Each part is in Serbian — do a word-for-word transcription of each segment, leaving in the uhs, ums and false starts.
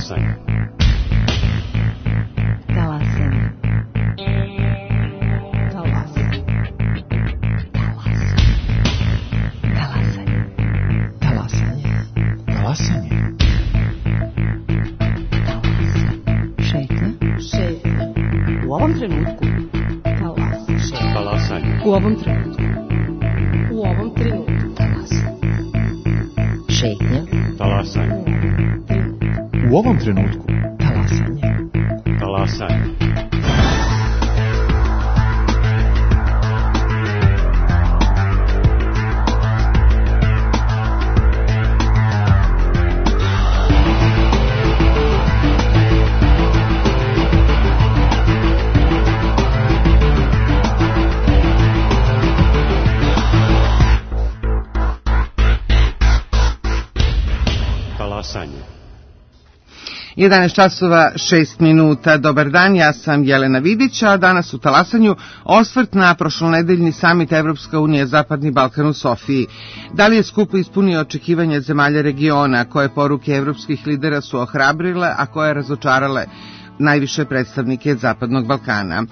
Talasanje. Talasanje. Talasanje. Talasanje. Talasanje. Talasanje. Šetnja. Šetnja. U ovom trenutku. Talasanje. Talasanje. U ovom trenutku. U ovom trenutku. Talasanje. Šetnja. Talasanje. U ovom trenutku. Talasanje. Talasanje. Talasanje. jedanaest časova šest minuta. Dobar dan, ja sam Jelena Vidić, a danas u Talasanju osvrt na prošlonedeljni samit Evropska unija Zapadni Balkan u Sofiji. Da li je skup ispunio očekivanja zemalja regiona, koje poruke evropskih lidera su ohrabrile, a koje razočarale najviše predstavnike Zapadnog Balkana?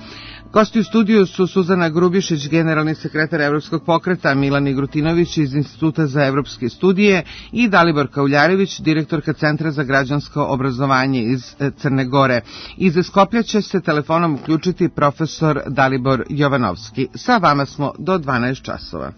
Gosti u studiju su Suzana Grubišić, generalni sekretar Evropskog pokreta, Milan Igrutinović iz Instituta za evropske studije i Dalibor Kauljarević, direktorka Centra za građansko obrazovanje iz Crne Gore. Iz Skoplja će se telefonom uključiti profesor Dalibor Jovanovski. Sa vama smo do dvanaest časova.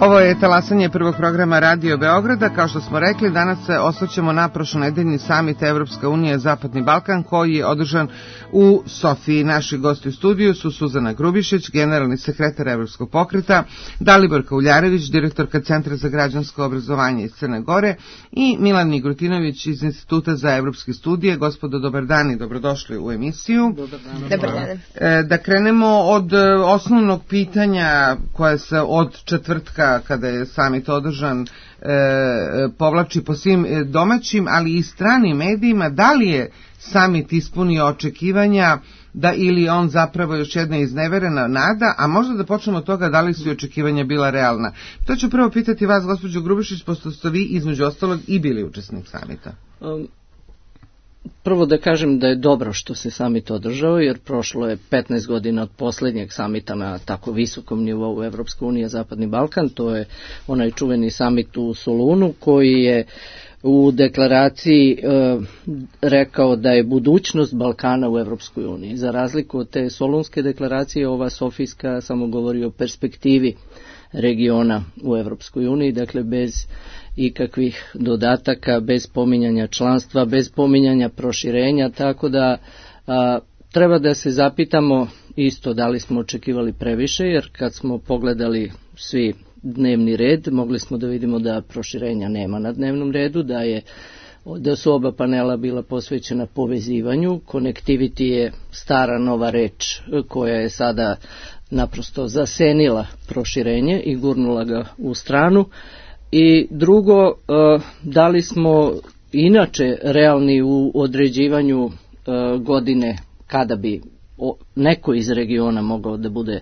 Ovo je talasanje prvog programa Radio Beograda. Kao što smo rekli, danas se osvrćemo na prošlonedeljni samit Evropska unija Zapadni Balkan koji je održan u Sofiji. Naši gosti u studiju su Suzana Grubišić, generalni sekretar Evropskog pokreta, Dalibor Kauljarević, direktorka Centra za građansko obrazovanje iz Crne Gore i Milan Nigrutinović iz Instituta za evropske studije. Gospodo, dobar dan i dobrodošli u emisiju. Dobar dan. Dobar dan. Da krenemo od osnovnog pitanja koje se od četvrtka kada je samit održan e, povlači po svim domaćim, ali i stranim medijima, da li je samit ispunio očekivanja da ili on zapravo još jedna izneverena nada, a možda da počnemo od toga da li su očekivanja bila realna. To ću prvo pitati vas, gospođo Grubišić, pošto ste vi između ostalog i bili učesnik samita. Um. Prvo da kažem da je dobro što se samit održao, jer prošlo je petnaest godina od poslednjeg samita na tako visokom nivou Evropska unija Zapadni Balkan. To je onaj čuveni samit u Solunu koji je u deklaraciji e, rekao da je budućnost Balkana u Evropskoj uniji. Za razliku od te Solunske deklaracije, ova Sofijska samo govori o perspektivi regiona u Evropskoj uniji, dakle bez ikakvih dodataka, bez pominjanja članstva, bez pominjanja proširenja, tako da a, treba da se zapitamo isto da li smo očekivali previše, jer kad smo pogledali svi dnevni red, mogli smo da vidimo da proširenja nema na dnevnom redu, da je da su oba panela bila posvećena povezivanju. Connectivity je stara nova reč koja je sada naprosto zasenila proširenje i gurnula ga u stranu. I drugo, da li smo inače realni u određivanju godine kada bi neko iz regiona mogao da bude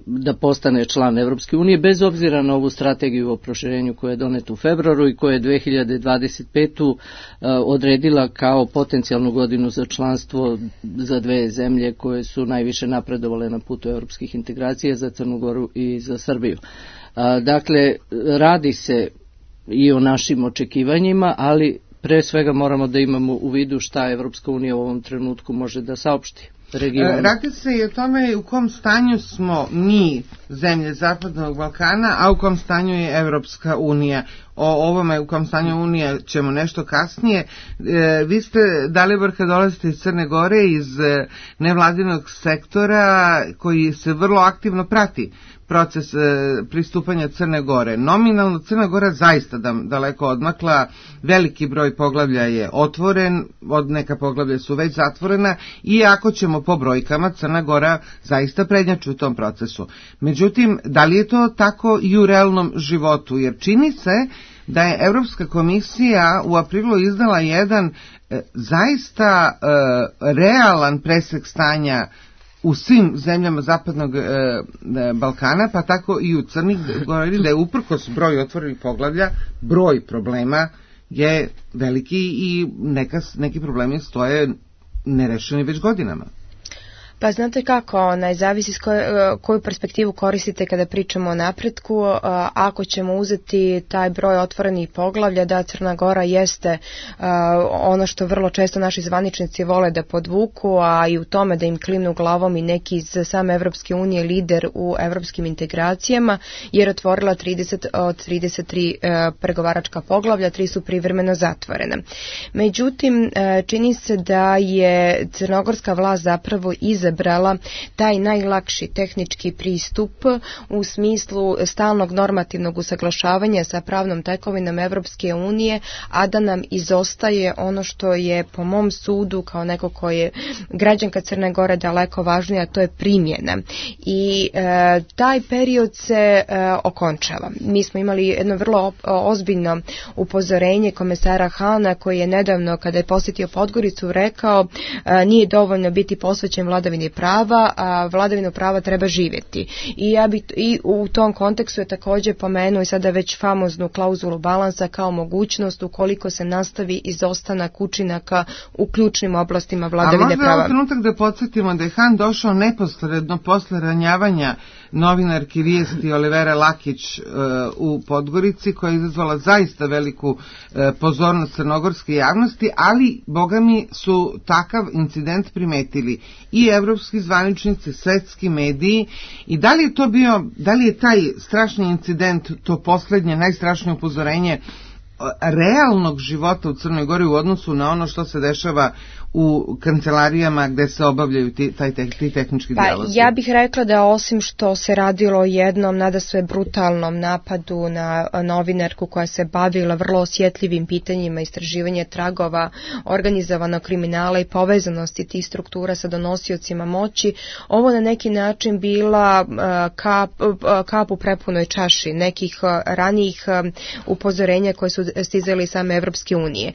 da postane član Evropske unije, bez obzira na ovu strategiju o proširenju koja je doneta u februaru i koja je dve hiljade dvadeset petu odredila kao potencijalnu godinu za članstvo za dve zemlje koje su najviše napredovale na putu evropskih integracija, za Crnu Goru i za Srbiju. Dakle, radi se i o našim očekivanjima, ali pre svega moramo da imamo u vidu šta Evropska unija u ovom trenutku može da saopšti regionu. Radi se i o tome u kom stanju smo mi, zemlje Zapadnog Balkana, a u kom stanju je Evropska unija. O ovome u kom stanju unija ćemo nešto kasnije. E, vi ste, Dalibor, kad dolazite iz Crne Gore, iz e, nevladinog sektora koji se vrlo aktivno prati proces e, pristupanja Crne Gore. Nominalno Crna Gora zaista da, daleko odmakla, veliki broj poglavlja je otvoren, od neka poglavlja su već zatvorena, iako ćemo po brojkama Crna Gora zaista prednjači u tom procesu. Međutim, da li je to tako i u realnom životu? Jer čini se da je Evropska komisija u aprilu izdala jedan e, zaista e, realan presek stanja u svim zemljama Zapadnog e, Balkana, pa tako i u Crni Gori, da je uprkos broju otvorenih poglavlja, broj problema je veliki i neka, neki problemi stoje nerešeni već godinama. Pa znate kako, onaj, zavisi s koju, koju perspektivu koristite kada pričamo o napretku. Ako ćemo uzeti taj broj otvorenih poglavlja, da Crna Gora jeste ono što vrlo često naši zvaničnici vole da podvuku, a i u tome da im klimnu glavom i neki iz same Evropske unije lider u evropskim integracijama, jer otvorila trideset od trideset tri pregovaračka poglavlja, tri su privremeno zatvorena. Međutim, čini se da je crnogorska vlast zapravo iz izabrala taj najlakši tehnički pristup u smislu stalnog normativnog usaglašavanja sa pravnom tekovinom Evropske unije, a da nam izostaje ono što je po mom sudu kao neko ko je građanka Crne Gore daleko važnije, a to je primjena. I e, taj period se e, okončava. Mi smo imali jedno vrlo ozbiljno upozorenje komesara Hana koji je nedavno kada je posjetio Podgoricu rekao e, nije dovoljno biti posvećen vladavini prava, a vladavinu prava treba živjeti. I ja bi i u tom kontekstu je također pomenuo i sada već famoznu klauzulu balansa kao mogućnost ukoliko se nastavi izostanak učinaka u ključnim oblastima vladavine prava. A možda je trenutak da podsjetimo da je Han došao neposredno posle ranjavanja novinarki vijesti Olivere Lakić u Podgorici, koja je izazvala zaista veliku pozornost crnogorske javnosti, ali, boga mi, su takav incident primetili i evropski zvaničnici, svetski mediji. I da li je to bio, da li je taj strašni incident, to poslednje, najstrašnije upozorenje realnog života u Crnoj Gori u odnosu na ono što se dešava u kancelarijama gde se obavljaju ti, taj te, ti tehnički pa, dijalozi? Ja bih rekla da osim što se radilo o jednom nadasve brutalnom napadu na novinarku koja se bavila vrlo osjetljivim pitanjima istraživanja tragova organizovanog kriminala i povezanosti tih struktura sa donosiocima moći, ovo na neki način bila kap, kap u prepunoj čaši nekih ranijih upozorenja koje su stizali same Evropske unije.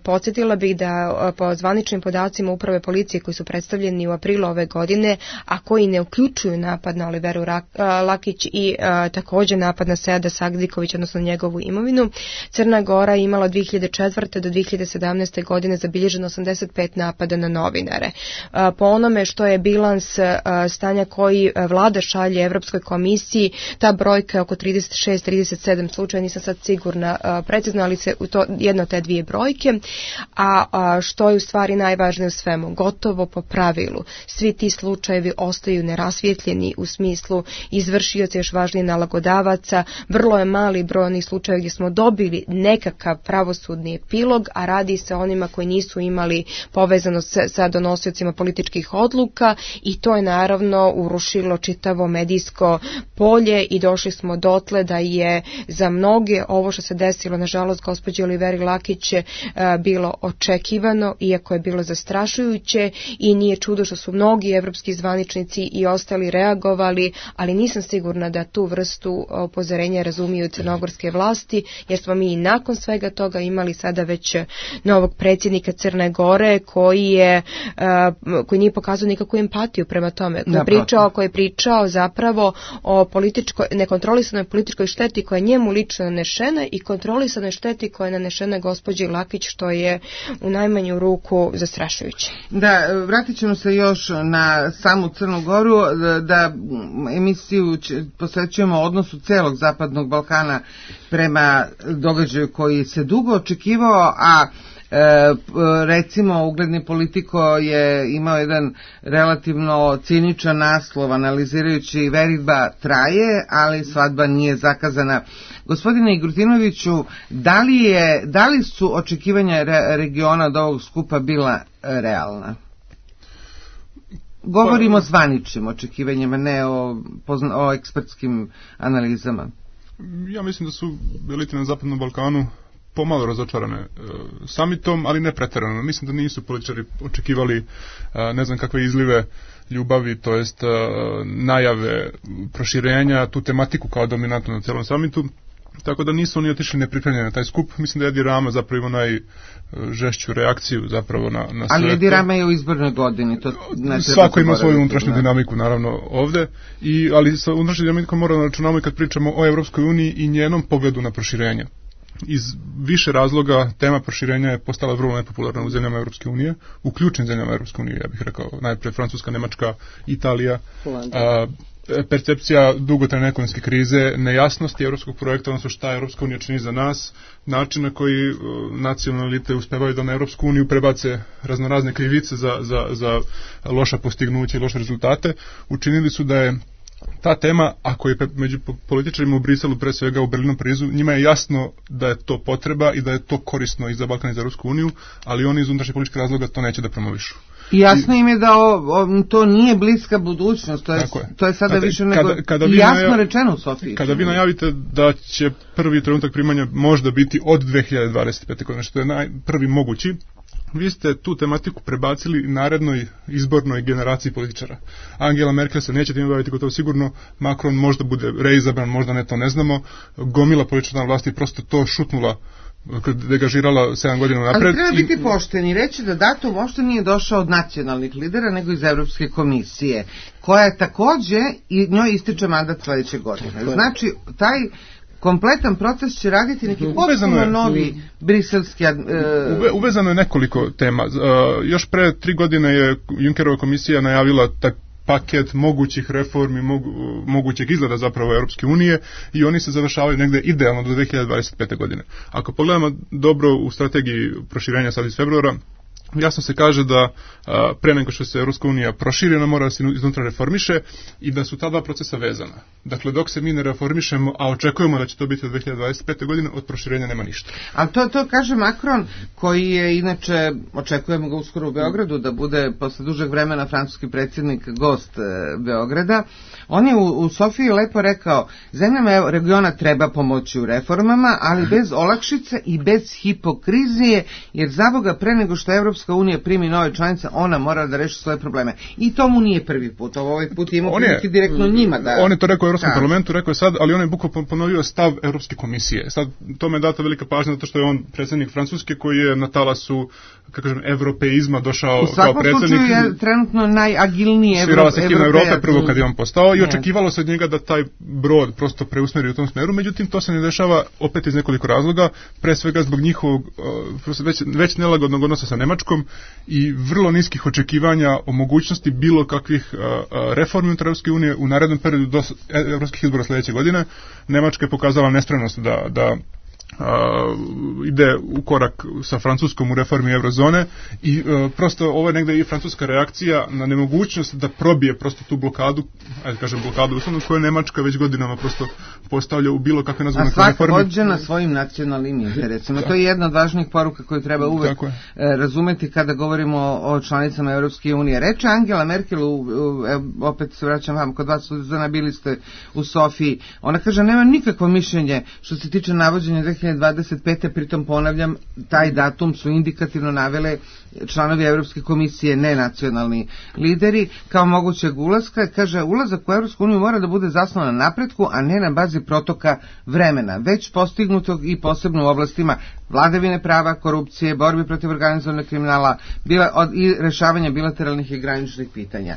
Podsjetila bih da po zvaničnim podacima uprave policije koji su predstavljeni u aprilu ove godine, a koji ne uključuju napad na Oliveru Lakić i a, također napad na Seada Sagdiković, odnosno njegovu imovinu, Crna Gora imala od dvije hiljade četvrte do dvije hiljade sedamnaeste. godine zabilježeno osamdeset pet napada na novinare. A, po onome što je bilans a, stanja koji vlada šalje Evropskoj komisiji, ta brojka je oko trideset šest trideset sedam slučaja, nisam sad sigurna a, precizno, ali se u to jedno te dvije brojke, a, a što je u stvari najvažnije u svemu, gotovo po pravilu. Svi ti slučajevi ostaju nerasvjetljeni u smislu izvršioca, još važnije nalagodavaca. Vrlo je mali broj onih slučajeva gdje smo dobili nekakav pravosudni epilog, a radi se o onima koji nisu imali povezanost sa donosiocima političkih odluka, i to je naravno urušilo čitavo medijsko polje i došli smo dotle da je za mnoge ovo što se desilo, nažalost, gospođi Oliveri Lakić bilo očekivano, iako je bilo zastrašujuće, i nije čudo što su mnogi evropski zvaničnici i ostali reagovali, ali nisam sigurna da tu vrstu upozorenja razumiju crnogorske vlasti, jer smo mi i nakon svega toga imali sada već novog predsjednika Crne Gore koji je koji nije pokazao nikakvu empatiju prema tome, koji je pričao, koji je pričao zapravo o političkoj, nekontrolisanoj političkoj šteti koja je njemu lično nanešena i kontrolisanoj šteti koja je nanešena gospođi Lakić, što je u najmanju ruku zastrašujuće. Da, vratit ćemo se još na samu Crnu Goru, da emisiju posvećujemo odnosu celog Zapadnog Balkana prema događaju koji se dugo očekivao, a E, recimo ugledni Politiko je imao jedan relativno ciničan naslov analizirajući veritba traje, ali svadba nije zakazana. Gospodine Igrutinoviću, da li, je, da li su očekivanja re, regiona od ovog skupa bila realna? Govorimo o zvaničnim očekivanjima, ne o, o ekspertskim analizama. Ja mislim da su elite na Zapadnom Balkanu pomalo razočarane e, samitom, ali ne pretjerano. Mislim da nisu političari očekivali e, ne znam kakve izlive ljubavi, to jest e, najave proširenja, tu tematiku kao dominantnu na celom samitu, tako da nisu oni otišli nepripremljeni na taj skup. Mislim da je Edi Rama zapravo ima najžešću reakciju zapravo na, na sve. Ali Edi Rama je u izbornoj godini. To svako ima svoju unutrašnju dinamiku naravno ovde, i, ali sa unutrašnjom dinamikom moramo računamo i kad pričamo o Evropskoj uniji i njenom pogledu na proširenje. Iz više razloga tema proširenja je postala vrlo nepopularna u zemljama Evropske unije, u ključnim zemljama Evropske unije, ja bih rekao, najprije Francuska, Nemačka, Italija, a, percepcija dugotrajne ekonomske krize, nejasnosti evropskog projekta, odnosno šta Evropska unija čini za nas, način na koji nacionalne elite uspevaju da na Evropsku uniju prebace raznorazne krivice za, za, za loša postignuća i loše rezultate, učinili su da je ta tema, ako je među političarima u Briselu, pre svega u Berlinu, Parizu, njima je jasno da je to potreba i da je to korisno i za Balkan i za Evropsku uniju, ali oni iz unutrašnjih političkih razloga to neće da promovišu. Jasno im je da o, o, to nije bliska budućnost, to je, je. To je sada Znate, više nego kada, kada jasno najav, rečeno u Sofiji. Kada vi najavite da će prvi trenutak primanja možda biti od dve hiljade dvadeset pete. godine, što je naj, prvi mogući, vi ste tu tematiku prebacili narednoj izbornoj generaciji političara. Angela Merkel se neće time baviti gotovo sigurno, Macron možda bude reizabran, možda ne, to ne znamo, gomila političara vlasti prosto to šutnula, degažirala sedam godina napred. Ali treba biti pošteni, reći da datum uopšte nije došao od nacionalnih lidera, nego iz Evropske komisije, koja je takođe, i njoj ističe mandat sledeće godine. Znači, taj kompletan proces će raditi neki potpuno novi briselski... Uh... Uve, uvezano je nekoliko tema. Uh, još pre tri godine je Junckerova komisija najavila tak paket mogućih reformi, mogu, mogućeg izgleda zapravo Europske unije i oni se završavaju negde idealno do dve hiljade dvadeset pete. godine. Ako pogledamo dobro u strategiji proširenja sad iz februara, jasno se kaže da a, pre nego što se Europska unija proširi, ona mora da se iznutra reformiše i da su ta dva procesa vezana. Dakle, dok se mi ne reformišemo, a očekujemo da će to biti od dve hiljade dvadeset pete. godine, od proširenja nema ništa. Ali to, to kaže Macron, koji je inače, očekujemo ga uskoro u Beogradu, da bude posle dužeg vremena francuski predsjednik gost e, Beograda. On je u, u Sofiji lepo rekao, zemljama regiona treba pomoći u reformama, ali bez olakšice i bez hipokrizije, jer za Boga pre nego što Evropska unija primi nove članice, ona mora da reši svoje probleme. I to mu nije prvi put. Ovaj put ima prilike direktno njima da... On je to rekao u Evropskom parlamentu, rekao je sad, ali on je bukvalno ponovio stav Evropske komisije. Sad, tome je data velika pažnja, zato što je on predsjednik Francuske koji je na talasu, kako kažem, evropeizma došao kao predsjednik. U svakom slučaju je trenutno najagilniji evropejac. Svirala se himna Evrope prvo kad je on postao i očekivalo se od njega da taj brod prosto preusmeri u tom smeru, međutim to se ne dešava opet iz nekoliko razloga, pre svega zbog njihovog uh, već, već nelagodnog odnosa sa Nemačkom i vrlo niskih očekivanja o mogućnosti bilo kakvih uh, uh, reformi unutar Evropske unije u narednom periodu do evropskih izbora sljedeće godine. Nemačka je pokazala nespremnost da, da Uh, ide u korak sa Francuskom u reformi eurozone i uh, prosto ovo je negde i francuska reakcija na nemogućnost da probije prosto tu blokadu, ajde kažem blokadu uslovno, koju Nemačka već godinama prosto postavlja u bilo kakve nazvane reforme. A svak vođe na svojim nacionalnim interesima. To je jedna od važnijih poruka koju treba uvek razumeti kada govorimo o, o članicama Europske unije. Reče Angela Merkel, u, u, opet se vraćam vam, kod vas Suzana, bili ste u Sofiji, ona kaže nema nikakvo mišljenje što se tiče navođenja dve hiljade dvadeset pete. Pritom ponavljam, taj datum su indikativno navele članovi Evropske komisije, ne nacionalni lideri, kao mogućeg ulaska. Kaže, ulazak u Evropsku uniju mora da bude zasnovan na napretku, a ne na bazi protoka vremena, već postignutog i posebno u oblastima vladavine prava, korupcije, borbi protiv organizovanog kriminala bila, od, i rešavanja bilateralnih i graničnih pitanja.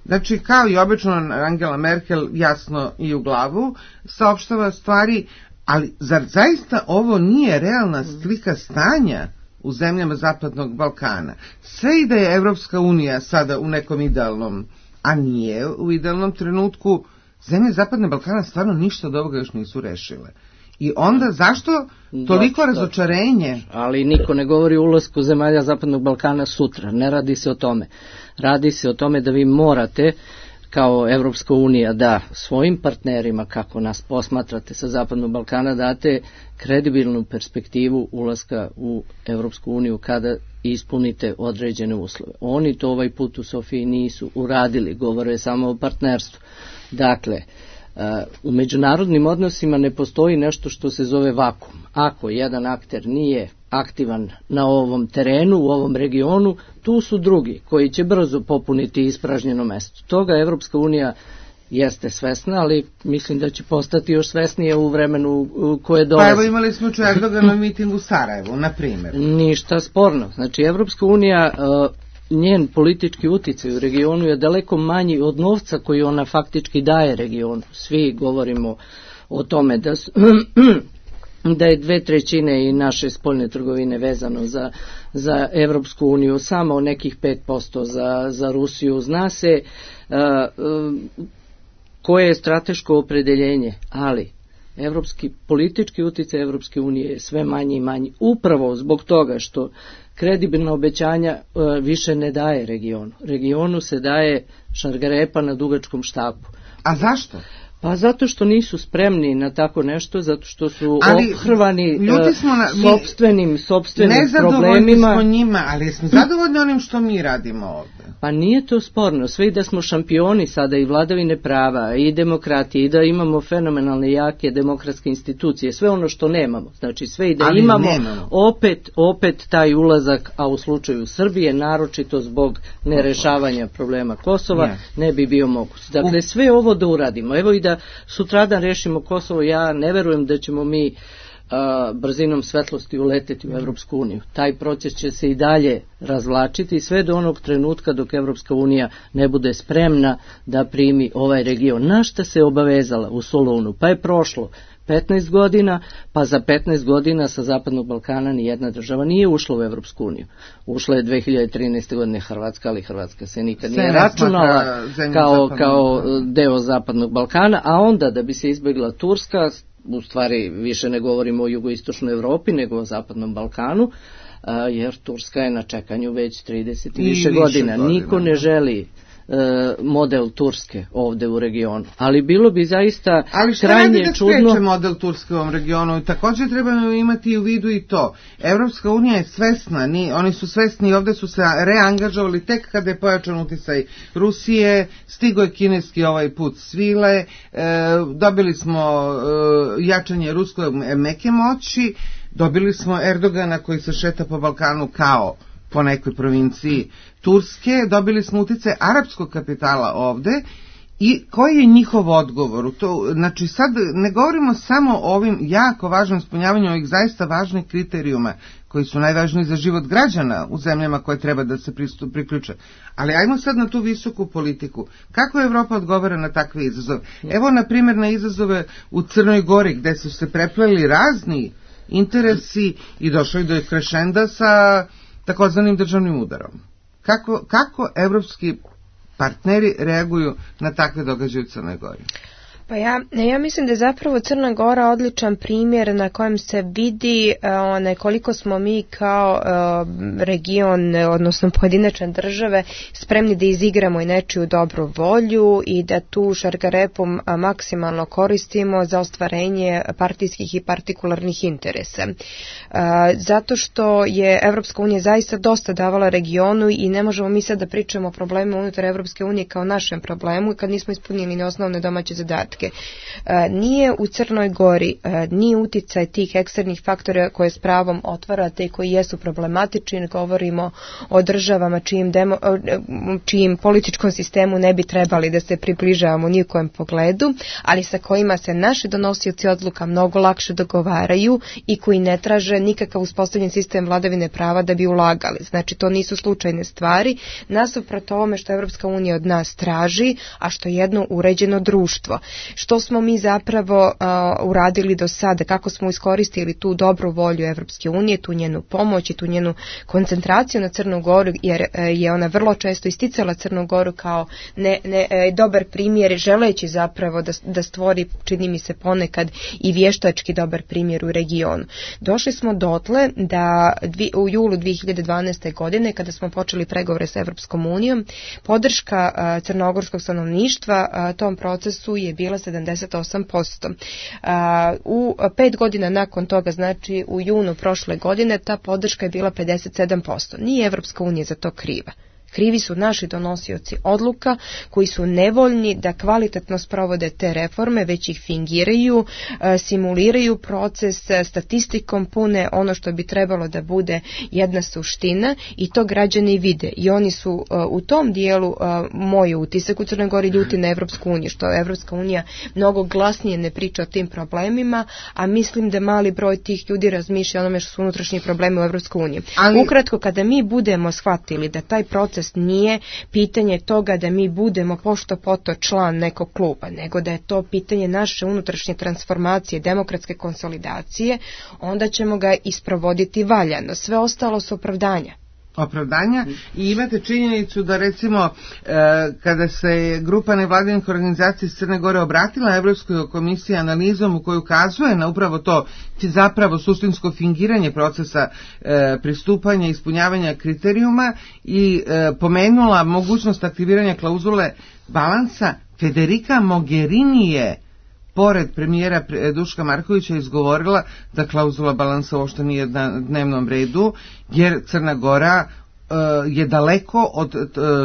Znači, kao i obično, Angela Merkel jasno i u glavu saopštava stvari. Ali zar zaista ovo nije realna slika stanja u zemljama Zapadnog Balkana? Sve i da je Evropska unija sada u nekom idealnom, a nije u idealnom trenutku, zemlje Zapadnog Balkana stvarno ništa od ovoga još nisu rešile. I onda zašto toliko razočarenje? Ali niko ne govori o ulasku zemalja Zapadnog Balkana sutra, ne radi se o tome. Radi se o tome da vi morate kao Evropska unija da svojim partnerima, kako nas posmatrate sa Zapadnog Balkana, date kredibilnu perspektivu ulaska u Evropsku uniju kada ispunite određene uslove. Oni to ovaj put u Sofiji nisu uradili, govore samo o partnerstvu. Dakle, u međunarodnim odnosima ne postoji nešto što se zove vakum. Ako jedan akter nije aktivan na ovom terenu, u ovom regionu, tu su drugi koji će brzo popuniti ispražnjeno mesto. Toga Evropska unija jeste svesna, ali mislim da će postati još svesnije u vremenu koje dolazi. Pa evo imali smo Erdogan na mitingu u Sarajevu, na primjer. Ništa sporno. Znači, Evropska unija, njen politički uticaj u regionu je daleko manji od novca koji ona faktički daje regionu. Svi govorimo o tome da su da je dve trećine i naše spoljne trgovine vezano za, za Evropsku uniju, samo nekih pet posto za, za Rusiju. Zna se uh, uh, koje je strateško opredeljenje, ali evropski politički utjecaj Evropske unije je sve manji i manji, upravo zbog toga što kredibilna obećanja uh, više ne daje regionu. Regionu se daje šargarepa na dugačkom štapu. A zašto? Pa zato što nisu spremni na tako nešto, zato što su ohrvani sopstvenim, sopstvenim problemima. Nezadovoljni smo njima, ali smo zadovoljni onim što mi radimo ovdje. Pa nije to sporno, sve i da smo šampioni sada i vladavine prava i demokratije i da imamo fenomenalne jake demokratske institucije, sve ono što nemamo, znači sve i da ali imamo nemamo. opet, opet taj ulazak, a u slučaju Srbije, naročito zbog nerešavanja problema Kosova, ne, ne bi bio moguć. Dakle, sve ovo da uradimo, evo i da sutradan rešimo Kosovo, ja ne verujem da ćemo mi a, brzinom svetlosti uleteti u Evropsku uniju. Taj proces će se i dalje razvlačiti sve do onog trenutka dok Evropska unija ne bude spremna da primi ovaj region. Na šta se obavezala u Solunu? Pa je prošlo petnaest godina, pa za petnaest godina sa Zapadnog Balkana ni jedna država nije ušla u Evropsku uniju. Ušla je dve hiljade trinaeste. godine Hrvatska, ali Hrvatska se nikad nije računala kao, kao deo Zapadnog Balkana, a onda da bi se izbjegla Turska, u stvari više ne govorimo o jugoistočnoj Evropi nego o Zapadnom Balkanu, jer Turska je na čekanju već trideset i više godina. Niko ne želi model Turske ovde u regionu. Ali bilo bi zaista Ali šta krajnje da čudno... spreče model Turske u ovom regionu? Također trebamo imati u vidu i to. Evropska unija je svesna, ni, oni su svesni i ovde su se reangažovali tek kada je pojačan uticaj Rusije, stigo je kineski ovaj put svile, e, dobili smo e, jačanje ruske meke moći, dobili smo Erdogana koji se šeta po Balkanu kao po nekoj provinciji Turske, dobili smo uticaj arapskog kapitala ovde i koji je njihov odgovor? To, znači sad ne govorimo samo o ovim jako važnom ispunjavanju ovih zaista važnih kriterijuma koji su najvažniji za život građana u zemljama koje treba da se pristup, priključe. Ali ajmo sad na tu visoku politiku. Kako Evropa odgovara na takve izazove? Evo na primjer na izazove u Crnoj Gori gde su se prepleli razni interesi i došli do krešenda sa takozvanim državnim udarom. Kako, kako evropski partneri reaguju na takve događaje u Crnoj Gori? Pa ja, ja mislim da je zapravo Crna Gora odličan primjer na kojem se vidi one, koliko smo mi kao uh, region, odnosno pojedinačne države, spremni da izigramo i nečiju dobru volju i da tu šargarepu maksimalno koristimo za ostvarenje partijskih i partikularnih interesa. Uh, zato što je Evropska unija zaista dosta davala regionu i ne možemo mi sad da pričamo o problemu unutar Evropske unije kao našem problemu kad nismo ispunili ni osnovne domaće zadatke. Nije u Crnoj Gori, nije uticaj tih eksternih faktora koje s pravom otvarate i koji jesu problematični, govorimo o državama čijim, demo, čijim političkom sistemu ne bi trebali da se približavamo ni u kojem pogledu, ali sa kojima se naši donosioci odluka mnogo lakše dogovaraju i koji ne traže nikakav uspostavljen sistem vladavine prava da bi ulagali. Znači to nisu slučajne stvari, nasuprot ovome što Evropska unija od nas traži, a što je jedno uređeno društvo. Što smo mi zapravo uh, uradili do sada, kako smo iskoristili tu dobru volju Evropske unije, tu njenu pomoć i tu njenu koncentraciju na Crnu Goru, jer uh, je ona vrlo često isticala Crnu Goru kao ne, ne, uh, dobar primjer, želeći zapravo da, da stvori, čini mi se ponekad, i vještački dobar primjer u regionu. Došli smo dotle da dvi, u julu dve hiljade dvanaeste. godine, kada smo počeli pregovore sa Evropskom unijom, podrška uh, crnogorskog stanovništva uh, tom procesu je bila sedamdeset osam posto. U pet godina nakon toga, znači u junu prošle godine, ta podrška je bila pedeset sedam posto. Nije Evropska unija za to kriva. Krivi su naši donosioci odluka koji su nevoljni da kvalitetno sprovode te reforme, već ih fingiraju, simuliraju proces, statistikom pune ono što bi trebalo da bude jedna suština i to građani vide. I oni su u tom dijelu, moj utisak u Crnoj Gori, ljuti na Evropsku uniju, što Evropska unija mnogo glasnije ne priča o tim problemima, a mislim da mali broj tih ljudi razmišlja onome što su unutrašnji problemi u Evropskoj uniji. Ali... Ukratko, kada mi budemo shvatili da taj proces nije pitanje toga da mi budemo pošto poto član nekog kluba, nego da je to pitanje naše unutrašnje transformacije, demokratske konsolidacije, onda ćemo ga isprovoditi valjano. Sve ostalo su opravdanja. opravdanja i imate činjenicu da recimo e, kada se grupa nevladinih organizacija iz Crne Gore obratila Evropskoj komisiji analizom u kojoj ukazuje na upravo to zapravo suštinsko fingiranje procesa e, pristupanja i ispunjavanja kriterijuma i e, pomenula mogućnost aktiviranja klauzule balansa, Federica Mogherini je pored premijera Duška Markovića izgovorila da klauzula balansa uopšte nije na dnevnom redu, jer Crna Gora je daleko od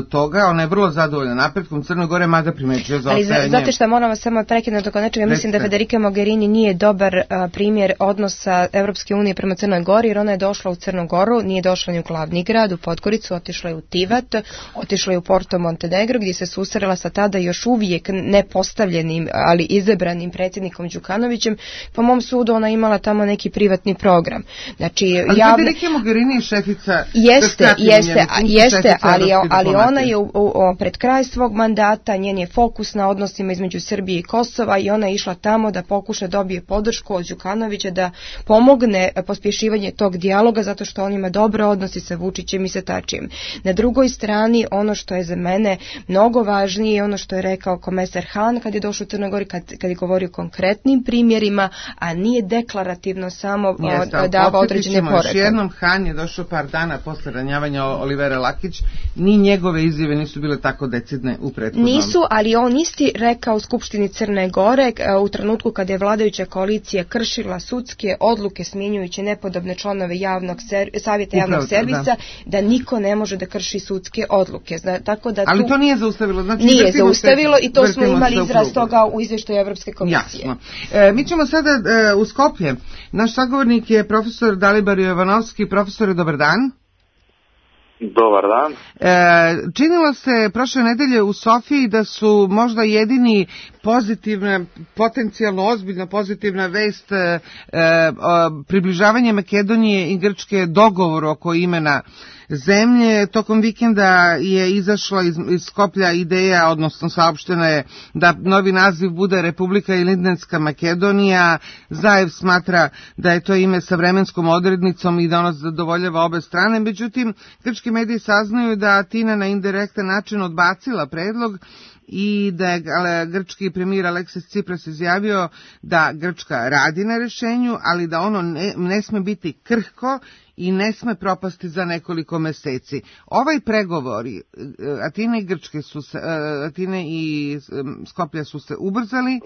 toga, ona je vrlo zadovoljna napretkom Crne Gore, mada primećuje za ostajanje. Ali znate šta, moram vas samo prekinuti oko nečega, mislim da Federica Mogherini nije dobar a, primjer odnosa Evropske unije prema Crnoj Gori, jer ona je došla u Crnu Goru, nije došla ni u glavni grad, u Podgoricu, otišla je u Tivat, otišla je u Porto Montenegro, gdje se susrela sa tada još uvijek nepostavljenim, ali izabranim predsjednikom Đukanovićem. Po mom sudu ona imala tamo neki privatni program. Znači, ali javne... Federica Mogherini je šefica... Jeste, Jeste, jeste, ali, ali ona je u, u, pred kraj svog mandata, njen je fokus na odnosima između Srbije i Kosova i ona je išla tamo da pokuša dobije podršku od Đukanovića da pomogne pospješivanje tog dijaloga zato što on ima dobre odnosi sa Vučićem i sa Tačijem. Na drugoj strani ono što je za mene mnogo važnije je ono što je rekao komesar Han kad je došao u Crnoj Gori, kad, kad je govorio o konkretnim primjerima, a nije deklarativno samo dava određene poruke. Još jednom, Han je došao par dana posle ranjavanja Olivera Lakić, ni njegove izjave nisu bile tako decidne u prethodnom. Nisu, ali on isti rekao u Skupštini Crne Gore u trenutku kada je vladajuća koalicija kršila sudske odluke smjenjujući nepodobne članove javnog ser, savjeta javnog Upravo, servisa, da. da niko ne može da krši sudske odluke. Zna, tako da ali tu to nije zaustavilo. Znači, nije zaustavilo se, i to smo imali izraz toga u izvještaju Evropske komisije. Jasno. E, mi ćemo sada e, u Skoplje. Naš sagovornik je profesor Dalibor Jovanovski. Profesore, dobar dan. Dobar dan. E, činilo se prošle nedelje u Sofiji da su možda jedini pozitivna, potencijalno ozbiljno pozitivna vest e, e, približavanje Makedonije i Grčke dogovoru oko imena zemlje. Tokom vikenda je izašla iz, iz Skoplja ideja, odnosno saopštena je da novi naziv bude Republika Ilindinska Makedonija. Zaev smatra da je to ime sa vremenskom odrednicom i da ono zadovoljava obe strane. Međutim, grčki mediji saznaju da Atina na indirektan način odbacila predlog i da je grčki premijer Aleksis Tsipras izjavio da Grčka radi na rješenju, ali da ono ne, ne sme biti krhko i ne sme propasti za nekoliko meseci. Ovaj pregovori Atine i Grčke su se, Atine i Skoplja su se ubrzali,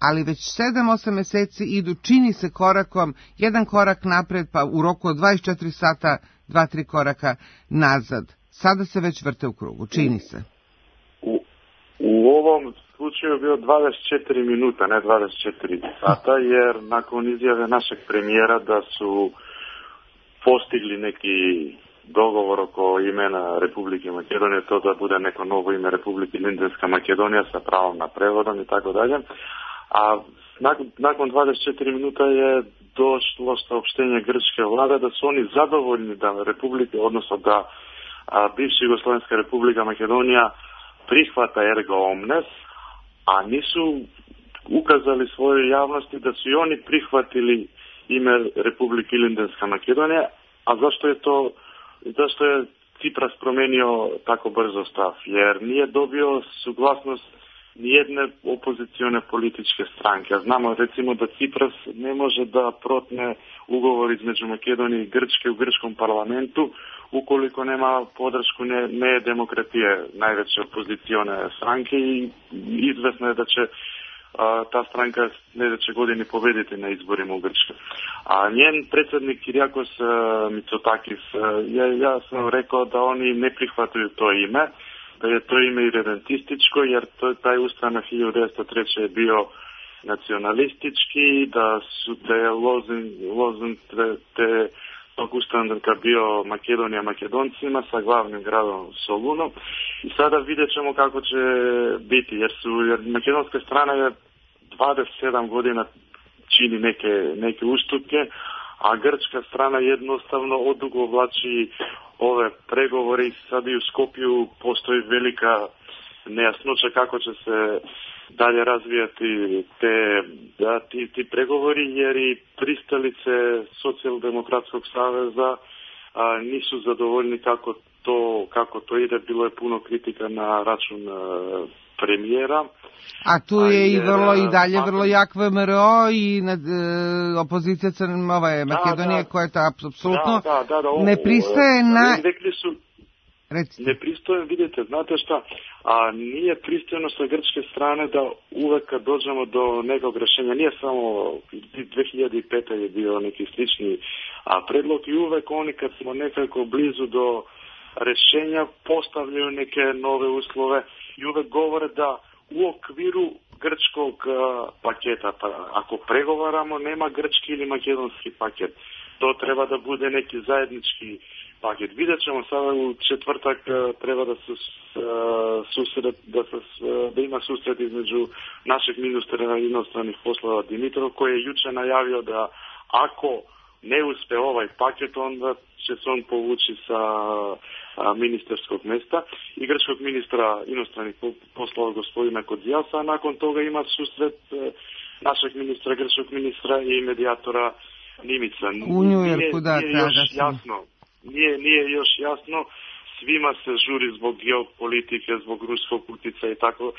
ali već sedam osam meseci idu, čini se korakom, jedan korak napred, pa u roku od dvadeset četiri sata dva tri koraka nazad. Sada se već vrte u krugu, čini se. U, u ovom slučaju je bio dvadeset četiri minuta, ne dvadeset četiri sata, jer nakon izjave našeg premijera da su postigli neki dogovor oko imena Republike Makedonije, to da bude neko novo ime Republike Ilindinska Makedonija sa pravom na prevodom i tako dalje. A nakon, nakon dvadeset četiri minuta je došlo saopštenje grčke vlade da su oni zadovoljni da Republike, odnosno da a, bivša Jugoslovenska Republika Makedonija prihvata erga omnes, a nisu ukazali svojoj javnosti da su i oni prihvatili ime Republike Ilindinska Makedonija. A zašto je to, zašto je Tsipras promenio tako brzo stav? Jer nije dobio suglasnost nijedne opozicione političke stranke. A znamo recimo da Tsipras ne može da protne ugovor između Makedonije i Grčke u grčkom parlamentu ukoliko nema podršku ne, ne demokratije, najveće opozicione stranke, i izvesno je da će a, ta stranka sljedeće godine pobediti na izborima u Grčkoj. A njen predsjednik Kyriakos Mitsotakis, ja, ja sam rekao da oni ne prihvataju to ime, da je to ime irredentističko, jer to, taj ustanak hiljadu devetsto treće je bio nacionalistički, da su te lozin, lozin te, te tog ustanka bio Makedonija Makedoncima sa glavnim gradom Solunom. I sada vidjet ćemo kako će biti, jer su jer makedonska strana je dvadeset sedam godina čini neke, neke ustupke, a grčka strana jednostavno odugovlači ove pregovore i sad i u Skopju postoji velika nejasnoća kako će se dalje razvijati te, da, ti, ti pregovori, jer i pristalice Socijaldemokratskog saveza a, nisu zadovoljni kako to, kako to ide. Bilo je puno kritika na račun a, premijera. A tu je i vrlo i dalje a, vrlo jak V M R O i nad, e, opozicija Crne ove Makedonije, koja je to apsolutno da, da, da, da, ovo, ne pristaje na... Rekli su, ne pristojem, vidite, znate šta, a nije pristojno sa grčke strane da uvek kad dođemo do nekog rješenja, nije samo dvije hiljade pete je bio neki slični a predlog, i uvek oni kad smo nekako blizu do rješenja postavljaju neke nove uslove i uvek govore da u okviru grčkog a, paketa, pa ako pregovaramo nema grčki ili makedonski paket, to treba da bude neki zajednički paket. Vidjet ćemo sada u četvrtak treba da se susret, da, se, da ima susret između našeg ministra inostranih poslova Dimitrov, koji je juče najavio da ako ne uspe ovaj paket, onda će se on povući sa ministarskog mesta i grčkog ministra inostranih poslova gospodina Kodziasa, a nakon toga ima susret našeg ministra, grčkog ministra i medijatora Nimica. U Njujorku, da, nije još jasno, nije, nije još jasno, svima se žuri zbog geopolitike, zbog ruskog utjecaja i tako,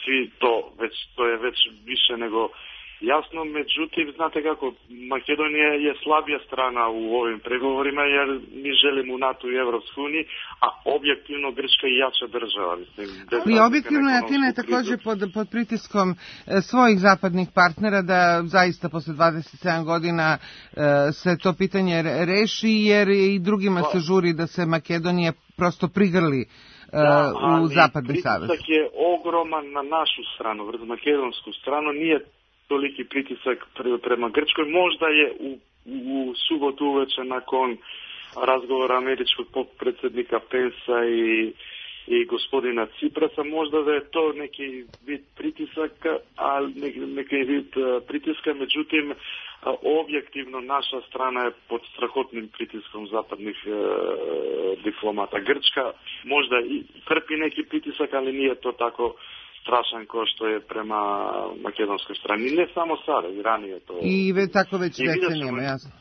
svi to, već, to je već više nego jasno, međutim, znate kako, Makedonija je slabija strana u ovim pregovorima jer mi želimo u NATO i Evropsku uniju, a objektivno Grčka je jača država. Mislim, I objektivno je Atina je također pod, pod pritiskom e, svojih zapadnih partnera da zaista posle dvadeset sedam godina e, se to pitanje reši, jer i drugima se žuri da se Makedonija prosto prigrli da, u zapadni savez. Pritisak je ogroman na našu stranu, makedonsku stranu, nije toliki pritisak prema Grčkoj. Možda je u, u subotu uveče nakon razgovora američkog predsjednika Pensa i, i gospodina Ciprasa, možda da je to neki vid pritisaka, ali neki, neki vid pritiska, međutim objektivno naša strana je pod strahotnim pritiskom zapadnih e, diplomata. Grčka možda i trpi neki pritisak, ali nije to tako strašan kao što je prema makedonskoj strani. Ne samo sada, i ranije to. I ve, tako već decenijama, jasno.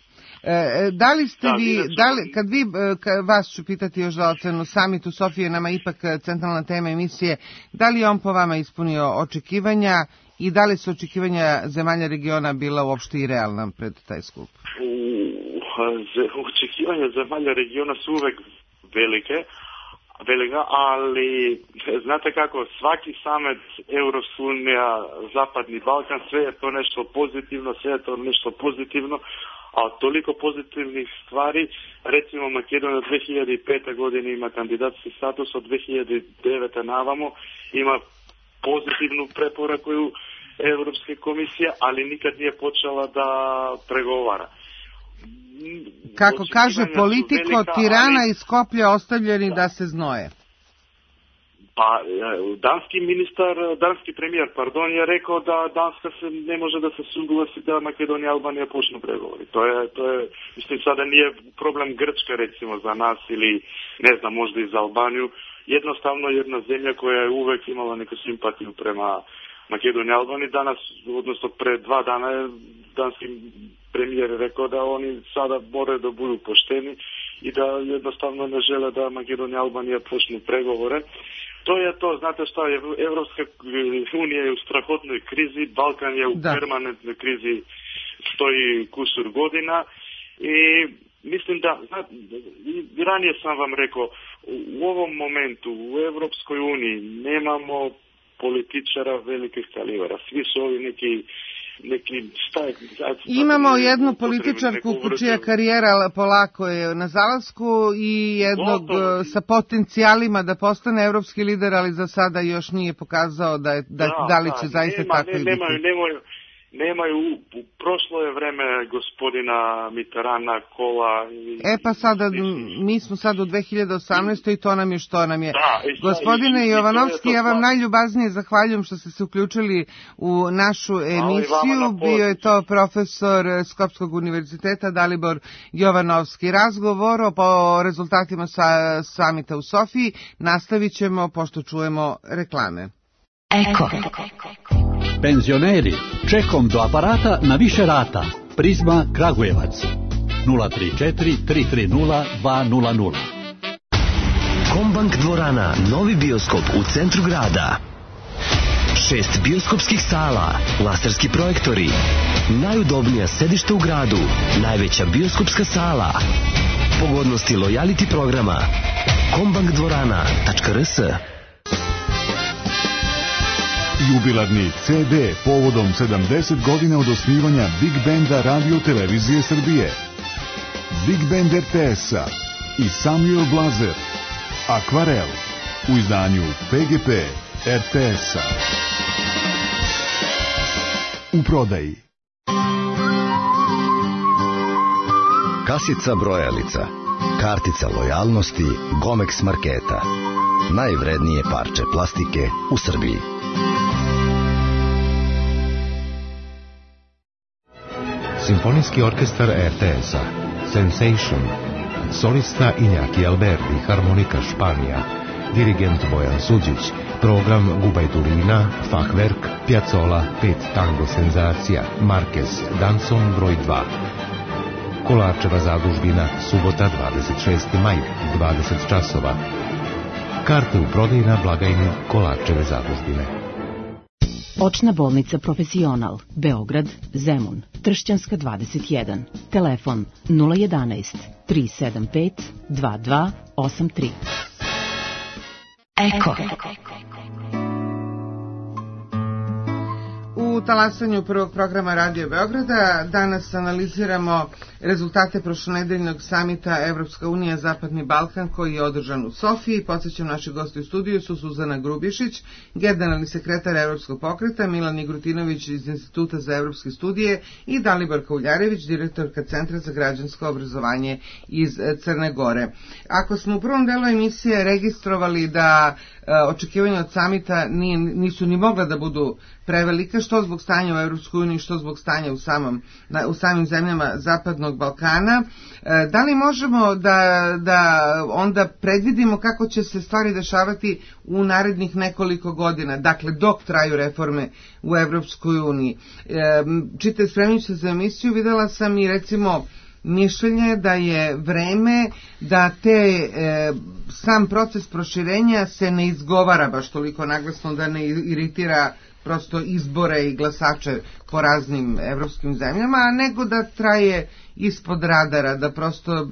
E, da li ste da, vi, da li, kad vi, kad vas ću pitati još za ocenu, summit u Sofiji je nama ipak centralna tema emisije, da li je on po vama ispunio očekivanja i da li su očekivanja zemalja regiona bila uopšte i realna pred taj skup? Očekivanja zemalja regiona su uvek velike, velika, ali znate kako, svaki summit Evropska unija, Zapadni Balkan, sve je to nešto pozitivno, sve je to nešto pozitivno, a toliko pozitivnih stvari, recimo Makedonija dve hiljade pete godine ima kandidatski status, od dve hiljade devete navamo ima pozitivnu preporuku Evropske komisije, ali nikad nije počela da pregovara. Kako kaže politiko, velika, Tirana ali... i Skoplje ostavljeni da. da se znoje. Pa, danski ministar, danski premijer, pardon, je rekao da Danska se ne može da se suglasi da Makedonija i Albanija počnu pregovori. To je, to je, mislim, sada nije problem Grčka, recimo, za nas ili, ne znam, možda i za Albaniju. Jednostavno jedna zemlja koja je uvek imala neku simpatiju prema Makedoniji i Albaniji. Danas, odnosno pre dva dana je danski premijer rekao da oni sada moraju da budu pošteni i da jednostavno ne žele da Makedonija i Albanija počnu pregovore. To je to, znate šta, Evropska unija je u strahotnoj krizi, Balkan je u da. permanentnoj krizi, stoji kusur godina i mislim da, znate, i ranije sam vam rekao, u ovom momentu u Evropskoj uniji nemamo političara velikih kalibara, svi su ovi neki neki staj, imamo jednu političarku čija karijera polako je na zalasku i jednog Gotovo. sa potencijalima da postane evropski lider, ali za sada još nije pokazao da, je, da, da, da li će da, zaista nema, tako ne, i biti. Nemaju, nemaju, nemaju, u prošlo je vreme gospodina Mitterana, Kola. I, e pa sada, i, mi smo sad u dve hiljade osamnaestoj i to nam je što nam je. Da, i, Gospodine i, i, Jovanovski, ja vam najljubaznije zahvaljujem što ste se uključili u našu emisiju. Bio je to profesor Skopskog univerziteta Dalibor Jovanovski. Razgovor o rezultatima sa samita u Sofiji nastavit ćemo pošto čujemo reklame. Eko. Penzioneri, čekom do aparata na više rata. Prizma Kragujevac. nula tri četiri tri tri nula dva nula nula. Kombank dvorana, novi bioskop u centru grada. Šest bioskopskih sala, laserski projektori, najudobnija sedišta u gradu, najveća bioskopska sala, pogodnosti lojality programa. kombank dvorana tačka r s. Jubilarni ce de povodom sedamdeset godina od osnivanja Big Benda Radio Televizije Srbije. Big Band er te es-a i Samuel Blazer. Akvarel u izdanju pe ge pe er te es-a. U prodaji. Kasica brojalica, kartica lojalnosti Gomex marketa. Najvrednije parče plastike u Srbiji. Simfonijski orkestar er te es-a Sensation solista Injaki Alberti, harmonika Španija, dirigent Bojan Suđić, program Gubajturina, Fachwerk, Piazzolla, pet tango senzacija, Marquez, Danson broj dva. Kolarčeva zadužbina, subota dvadeset šesti maj, dvadeset časova. Karte u prodaji na blagajni Kolarčeve zadužbine. Očna bolnica Profesional, Beograd, Zemun, Tršćanska dvadeset jedan. Telefon nula jedanaest tri sedam pet dva dva osam tri. Eko. U talasanju prvog programa Radio Beograda danas analiziramo rezultate prošlonedeljnog samita Evropska unija Zapadni Balkan koji je održan u Sofiji. Podsećam, naši gosti u studiju su Suzana Grubišić, generalni sekretar Evropskog pokreta, Milan Igrutinović iz Instituta za evropske studije i Dalibor Kauljarević, direktorka Centra za građansko obrazovanje iz Crne Gore. Ako smo u prvom delu emisije registrovali da očekivanja od samita nije, nisu ni mogla da budu prevelika, što zbog stanja u Evropskoj uniji, što zbog stanja u, samom, na, u samim zemljama Zapadnog Balkana, da li možemo da, da onda predvidimo kako će se stvari dešavati u narednih nekoliko godina, dakle dok traju reforme u Evropskoj uniji? Čite, spremljući se za emisiju, videla sam i recimo mišljenje da je vreme da te e, sam proces proširenja se ne izgovara baš toliko naglasno, da ne iritira prosto izbore i glasače po raznim evropskim zemljama, nego da traje ispod radara, da prosto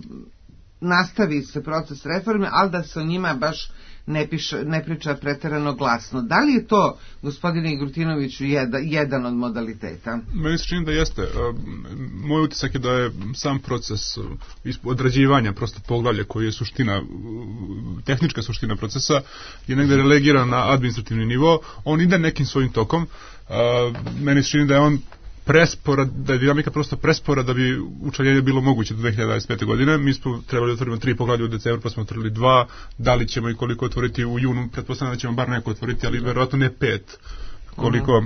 nastavi se proces reforme, ali da se o njima baš ne, piše, ne priča preterano glasno. Da li je to, gospodine Igrutinoviću, jedan, jedan od modaliteta? Meni se čini da jeste. Moj utisak je da je sam proces odrađivanja prosto poglavlja koji je suština, tehnička suština procesa, je negde relegiran na administrativni nivo. On ide nekim svojim tokom. Meni se čini da je on prespora, da je dinamika prosto prespora da bi učlanjenje bilo moguće do dve hiljade dvadeset pete. godine. Mi smo trebali otvoriti tri poglavlja u decembru, pa smo otvorili dva. Da li ćemo i koliko otvoriti u junu? Pretpostavljam da ćemo bar neko otvoriti, ali verovatno ne pet. Koliko...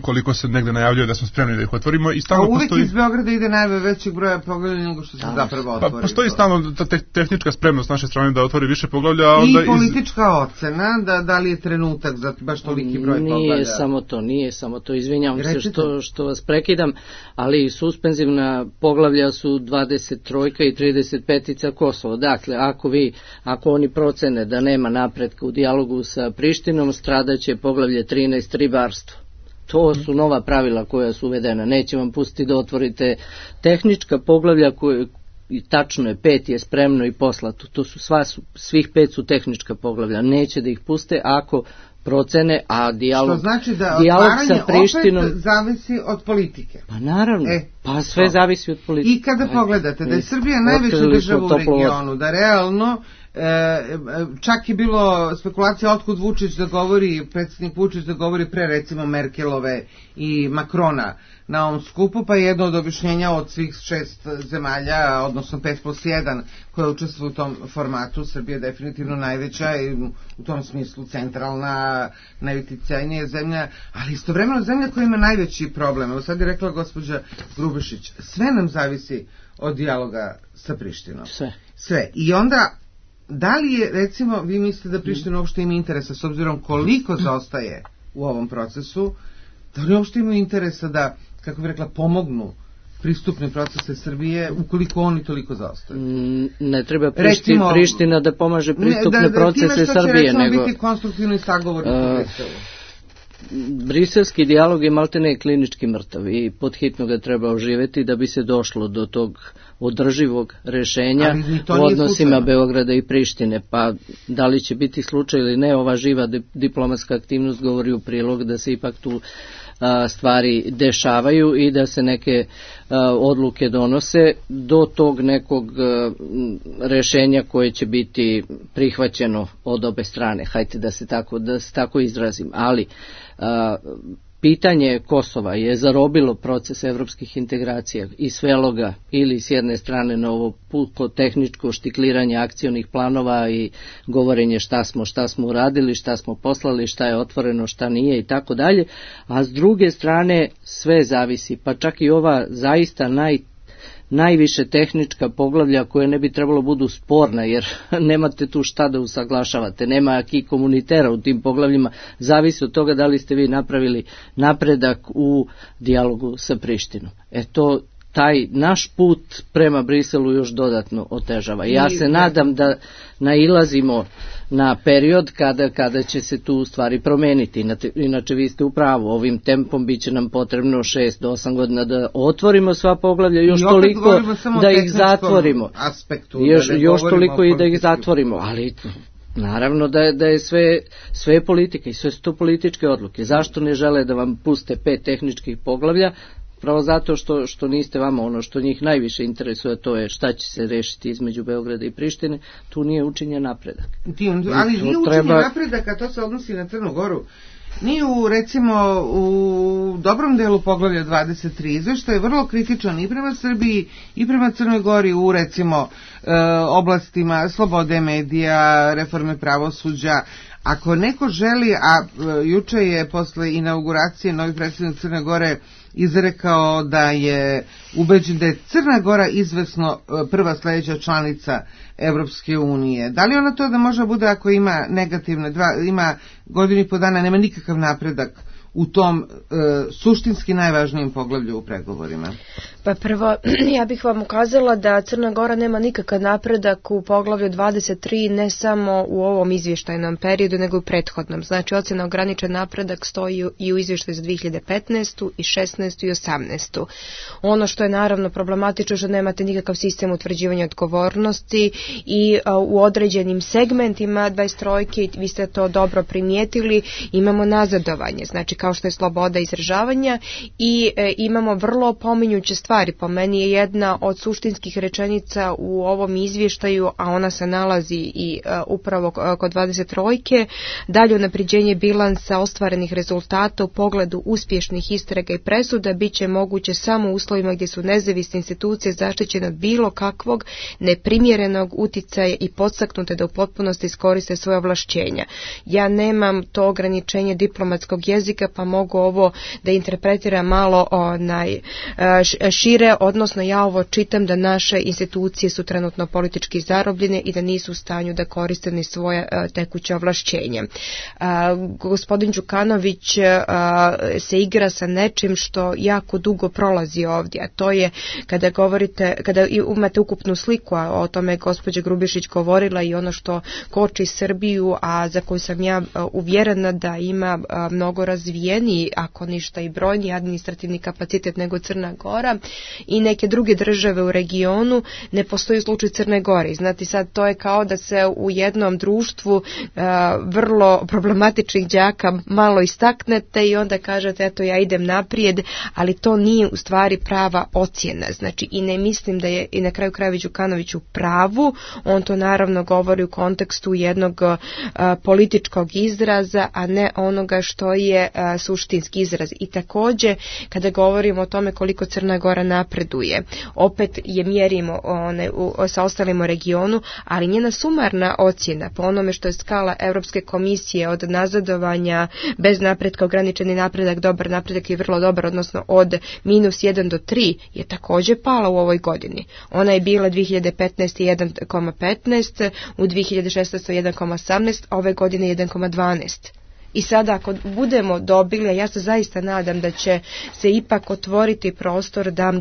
koliko se negde najavljuje da smo spremni da ih otvorimo. I stalno a uvijek postoji... iz Beograda ide najve većeg broja poglavlja nego što se da. zapravo otvori. Pa postoji stalno ta te, tehnička spremnost naše strane da otvori više poglavlja. A onda i politička iz... ocena, da, da li je trenutak za baš toliki broj nije poglavlja? Nije samo to, nije samo to. Izvinjavam Recite. se što, što vas prekidam, ali suspenzivna poglavlja su dvadeset tri i trideset pet Kosovo. Dakle, ako vi, ako oni procene da nema napretka u dijalogu sa Prištinom, stradaće poglavlje trinaest ribarstvo. To su nova pravila koja su uvedena. Neće vam pustiti da otvorite tehnička poglavlja koje, i tačno je, pet je spremno i poslato. To su sva, svih pet su tehnička poglavlja. Neće da ih puste ako procene, a dijalog, što znači da dijalog sa Prištinom opet zavisi od politike. Pa naravno, e, pa sve to. zavisi od politike. I kada Ajde. pogledate da je Srbija najveća država u regionu, da realno E, čak je bilo spekulacija otkud Vučić da govori, predsjednik Vučić da govori pre recimo Merkelove i Makrona na ovom skupu, pa je jedno od objašnjenja od svih šest zemalja, odnosno pet plus jedan koje učestvuju u tom formatu. Srbija je definitivno najveća i u tom smislu centralna, najuticajnija zemlja, ali istovremeno zemlja koja ima najveći problem. Evo sad je rekla gospođa Grubišić, sve nam zavisi od dijaloga sa Prištinom. Sve. Sve. I onda da li je, recimo, vi mislite da Priština uopšte ima interesa, s obzirom koliko zaostaje u ovom procesu, da li uopšte imaju interesa da, kako bih rekla, pomognu pristupne procese Srbije, ukoliko oni toliko zaostaju? Ne treba Prišti, recimo, Priština da pomaže pristupne ne, da, da, procese Srbije, nego... Time što će, recimo, biti konstruktivni sagovori uh, u Briselu. Briselski dijalog je maltene klinički mrtav i podhitno ga treba oživeti da bi se došlo do tog održivog rešenja u odnosima Beograda i Prištine. Pa da li će biti slučaj ili ne, ova živa diplomatska aktivnost govori u prilog da se ipak tu a, stvari dešavaju i da se neke a, odluke donose do tog nekog a, rešenja koje će biti prihvaćeno od obe strane. Hajde da se tako, da se tako izrazim. Ali a, pitanje Kosova je zarobilo proces evropskih integracija i svelo ga ili s jedne strane na ovo puko tehničko štikliranje akcionih planova i govorenje šta smo, šta smo uradili, šta smo poslali, šta je otvoreno, šta nije i tako dalje, a s druge strane sve zavisi, pa čak i ova zaista naj najviše tehnička poglavlja koje ne bi trebalo budu sporna, jer nemate tu šta da usaglašavate, nema aki komunitera u tim poglavljima, zavisi od toga da li ste vi napravili napredak u dijalogu sa Prištinom. E to taj naš put prema Briselu još dodatno otežava. Ja se nadam da nailazimo na period kada, kada će se tu stvari promeniti. Inače vi ste u pravu, ovim tempom bit će nam potrebno šest do osam godina da otvorimo sva poglavlja, još toliko da ih zatvorimo. Aspektu, još da još toliko i da ih zatvorimo, ali naravno da je, da je sve, sve politika i sve su to političke odluke. Zašto ne žele da vam puste pet tehničkih poglavlja? Pravo zato što, što niste vama ono što njih najviše interesuje, to je šta će se rešiti između Beograda i Prištine, tu nije učinjen napredak. Ali nije učinjen treba... napredak, a to se odnosi na Crnu Goru. Nije u, recimo, u dobrom delu poglavlja dvadeset tri izveštaj je vrlo kritičan i prema Srbiji i prema Crnoj Gori u, recimo, e, oblastima slobode medija, reforme pravosuđa. Ako neko želi, a e, juče je posle inauguracije novi predsjednik Crne Gore izrekao da je ubeđen da je Crna Gora izvesno prva sledeća članica Evropske unije. Da li ona to da može bude ako ima negativne, dva, ima godinu i po dana, nema nikakav napredak u tom e, suštinski najvažnijim poglavlju u pregovorima? Pa prvo, ja bih vam ukazala da Crna Gora nema nikakav napredak u poglavlju dvadeset tri, ne samo u ovom izvještajnom periodu, nego i u prethodnom. Znači, ocjena ograničen napredak stoji i u izvještaju za dve hiljade petnaestu i šesnaestu i osamnaestu. Ono što je naravno problematično, što nemate nikakav sistem utvrđivanja odgovornosti i a, u određenim segmentima dvadeset trojke, vi ste to dobro primijetili, imamo nazadovanje. Znači, kao što je sloboda izražavanja i e, imamo vrlo pominjuće stvari. Po meni je jedna od suštinskih rečenica u ovom izvještaju, a ona se nalazi i uh, upravo kod dvadeset trojke, dalje unapređenje bilansa ostvarenih rezultata u pogledu uspješnih istraga i presuda bit će moguće samo u uslovima gdje su nezavisne institucije zaštićene od bilo kakvog neprimjerenog uticaja i podstaknute da u potpunosti iskoriste svoje ovlašćenja. Ja nemam to ograničenje diplomatskog jezika, pa mogu ovo da interpretiram malo onaj uh, šire, odnosno ja ovo čitam da naše institucije su trenutno politički zarobljene i da nisu u stanju da koriste ni svoje uh, tekuće ovlašćenja. Uh, gospodin Đukanović uh, se igra sa nečim što jako dugo prolazi ovdje, a to je kada govorite, kada imate ukupnu sliku, a o tome je gospođa Grubišić govorila i ono što koči Srbiju, a za koju sam ja uh, uvjerena da ima uh, mnogo razvijeniji, ako ništa i brojni administrativni kapacitet nego Crna Gora i neke druge države u regionu, ne postoji slučaj Crne Gore. Znate, sad to je kao da se u jednom društvu uh, vrlo problematičnih đaka malo istaknete i onda kažete eto ja idem naprijed, ali to nije u stvari prava ocjena. Znači i ne mislim da je i na kraju krajeva Đukanović u pravu, on to naravno govori u kontekstu jednog uh, političkog izraza, a ne onoga što je uh, suštinski izraz. I također kada govorimo o tome koliko Crna Gora napreduje, opet je mjerimo one, u, sa ostalim u regionu, ali njena sumarna ocjena po onome što je skala Europske komisije od nazadovanja bez napretka, ograničeni napredak, dobar napredak i vrlo dobar, odnosno od minus jedan do tri je također pala u ovoj godini. Ona je bila dve hiljade petnaeste. jedan zarez petnaest, u dve hiljade šesnaeste. jedan zarez osamnaest, ove godine jedan zarez dvanaest. I sada ako budemo dobili, ja se zaista nadam da će se ipak otvoriti prostor da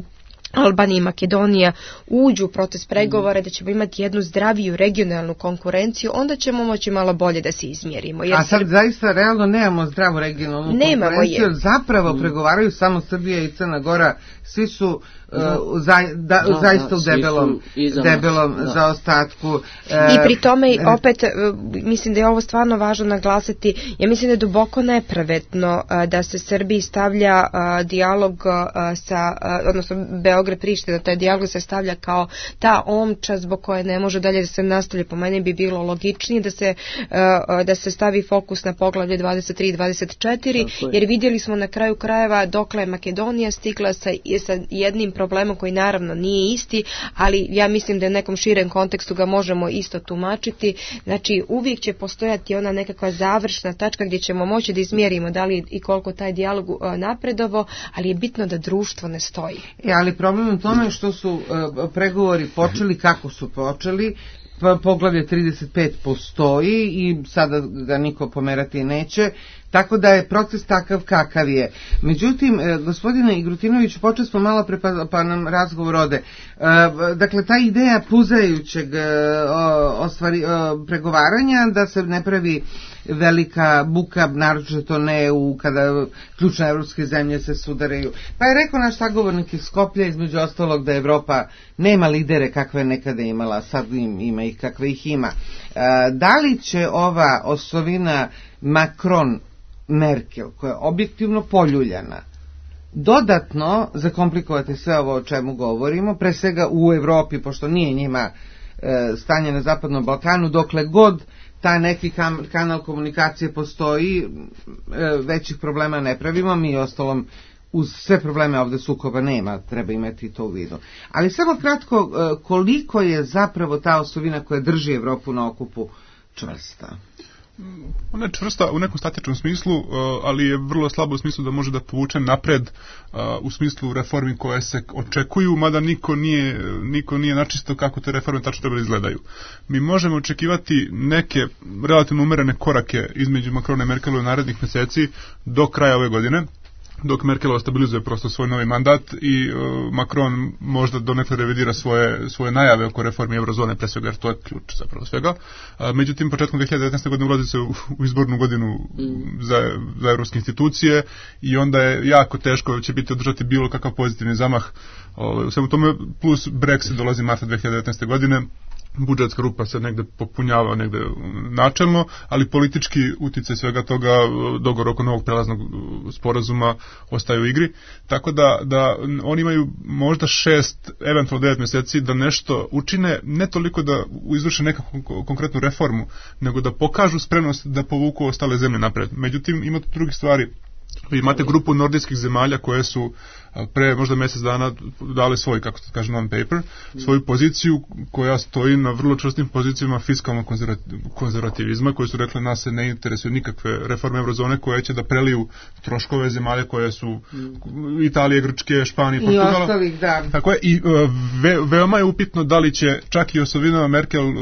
Albanija i Makedonija uđu u proces pregovora, da ćemo imati jednu zdraviju regionalnu konkurenciju, onda ćemo moći malo bolje da se izmjerimo. Jer A sad zaista realno nemamo zdravu regionalnu nemamo konkurenciju, je. zapravo mm. pregovaraju samo Srbija i Crna Gora, svi su uh, za, da, da, zaista da, u debelom, debelom da. zaostatku. Uh, I pri tome opet, uh, mislim da je ovo stvarno važno naglasiti, ja mislim da je duboko nepravedno uh, da se Srbiji stavlja uh, dijalog uh, sa, uh, odnosno Beograd Priština, taj dijalog se stavlja kao ta omča zbog koje ne može dalje da se nastavlja. Po meni bi bilo logičnije da se, uh, da se stavi fokus na poglavlje dvadeset tri i dvadeset četiri, jer vidjeli smo na kraju krajeva dokle je Makedonija stigla sa, sa jednim problemom koji naravno nije isti, ali ja mislim da u nekom širem kontekstu ga možemo isto tumačiti. Znači uvijek će postojati ona nekakva završna tačka gdje ćemo moći da izmjerimo da li i koliko taj dijalog napredovo, ali je bitno da društvo ne stoji. E, ali problem u tome što su uh, pregovori počeli, kako su počeli, poglavlje trideset pet postoji i sada ga niko pomerati neće, tako da je proces takav kakav je. Međutim, gospodine Igrutinoviću, počeli smo malo pre pa, pa nam razgovor ode. Dakle, ta ideja puzajućeg ostvari, pregovaranja, da se ne pravi velika buka, naročito ne u kada ključne evropske zemlje se sudaraju. Pa je rekao naš sagovornik iz Skoplja, između ostalog, da Evropa nema lidere kakve je nekada imala, sad im, ima ih kakve ih ima. Da li će ova osovina Macron-Merkel, koja je objektivno poljuljana, dodatno zakomplikovati sve ovo o čemu govorimo, pre svega u Evropi, pošto nije njima e, stanje na Zapadnom Balkanu, dokle god ta neki kam, kanal komunikacije postoji, e, većih problema ne pravimo, mi ostalom uz sve probleme ovde sukoba nema, treba imati to u vidu. Ali samo kratko, e, koliko je zapravo ta osovina koja drži Evropu na okupu čvrsta? Ona je čvrsta u nekom statičnom smislu, ali je vrlo slabo u smislu da može da povuče napred u smislu reformi koje se očekuju, mada niko nije, niko nije načisto kako te reforme tačno treba da izgledaju. Mi možemo očekivati neke relativno umerene korake između Macrona i Merkelove u narednih meseci do kraja ove godine, dok Merkelova stabilizuje prosto svoj novi mandat i uh, Macron možda donekle revidira svoje, svoje najave oko reformi eurozone, pre svega, jer to je ključ zapravo svega. Uh, međutim, početkom dve hiljade devetnaeste. godine ulazi se u, u izbornu godinu za, za evropske institucije i onda je jako teško će biti održati bilo kakav pozitivni zamah. Uh, u svemu tome, plus Brexit dolazi marta dve hiljade devetnaeste. godine, budžetska rupa se negde popunjava negde načelno, ali politički uticaj svega toga, dogovor oko novog prelaznog sporazuma ostaje u igri, tako da, da oni imaju možda šest, eventualno devet mjeseci da nešto učine, ne toliko da izvrše nekakvu konkretnu reformu, nego da pokažu spremnost da povuku ostale zemlje napred. Međutim, ima tu drugih stvari. Vi imate grupu nordijskih zemalja koje su pre možda mjesec dana dali svoj, kako se kaže, non-paper, svoju poziciju koja stoji na vrlo čvrstim pozicijama fiskalnog konzervativizma, koji su rekli nas se ne interesuju nikakve reforme eurozone koje će da preliju troškove zemalja koje su Italije, Grčke, Španije, Portugala. I ostalih, da. Tako je, i ve, veoma je upitno da li će čak i osovinama Merkel, uh,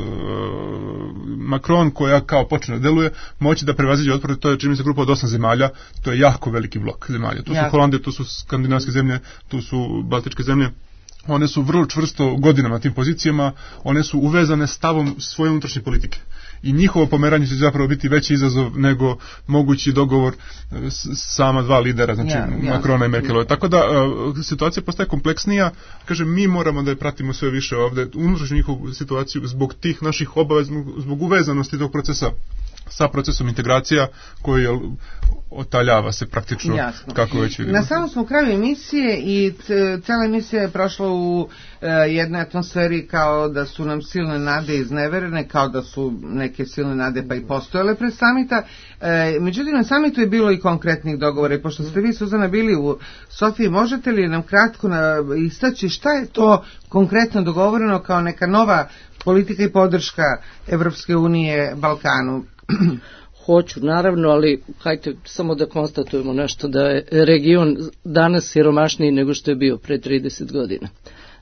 Macron, koja kao počne da deluje, moći da prevaziđe otpor. To je, čini mi se, grupa od osam zemalja, to je jako veliki blok zemalja. Tu su ja. Holandija, tu su skandinavske zemlje, tu su baltičke zemlje. One su vrlo čvrsto godinama na tim pozicijama, one su uvezane stavom svoje unutrašnje politike. I njihovo pomeranje će zapravo biti veći izazov nego mogući dogovor s sama dva lidera, znači ja, ja. Macrona i Merkelove. Tako da uh, situacija postaje kompleksnija. Kažem, mi moramo da je pratimo sve više ovde, unutrašnju njihovu situaciju, zbog tih naših obaveza, zbog uvezanosti tog procesa sa procesom integracija koji je otaljava se praktično. Jasno. Kako već vidimo. Na samom smo kraju emisije i cela emisija je prošla u e, jednoj atmosferi kao da su nam silne nade izneverene, kao da su neke silne nade pa i postojale pred samita. E, međutim, na samitu je bilo i konkretnih dogovora i pošto ste vi, Suzana, bili u Sofiji, možete li nam kratko na, istaći šta je to konkretno dogovoreno kao neka nova politika i podrška Evropske unije Balkanu? Hoću, naravno, ali hajte samo da konstatujemo nešto, da je region danas siromašniji nego što je bio pre trideset godina.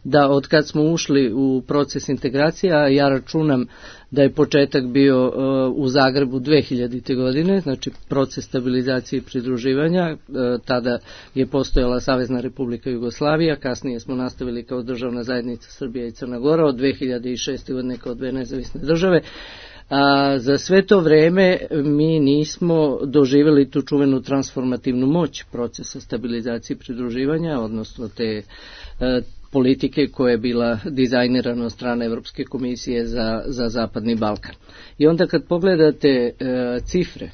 Da od kad smo ušli u proces integracija, ja računam da je početak bio uh, u Zagrebu dve hiljadite. godine, znači proces stabilizacije i pridruživanja, uh, tada je postojala Savezna Republika Jugoslavija, kasnije smo nastavili kao državna zajednica Srbija i Crna Gora, od dve hiljade šeste. godine kao dve nezavisne države. A za sve to vreme mi nismo doživjeli tu čuvenu transformativnu moć procesa stabilizacije i pridruživanja, odnosno te e, politike koja je bila dizajnirana od strane Evropske komisije za, za Zapadni Balkan. I onda kad pogledate e, cifre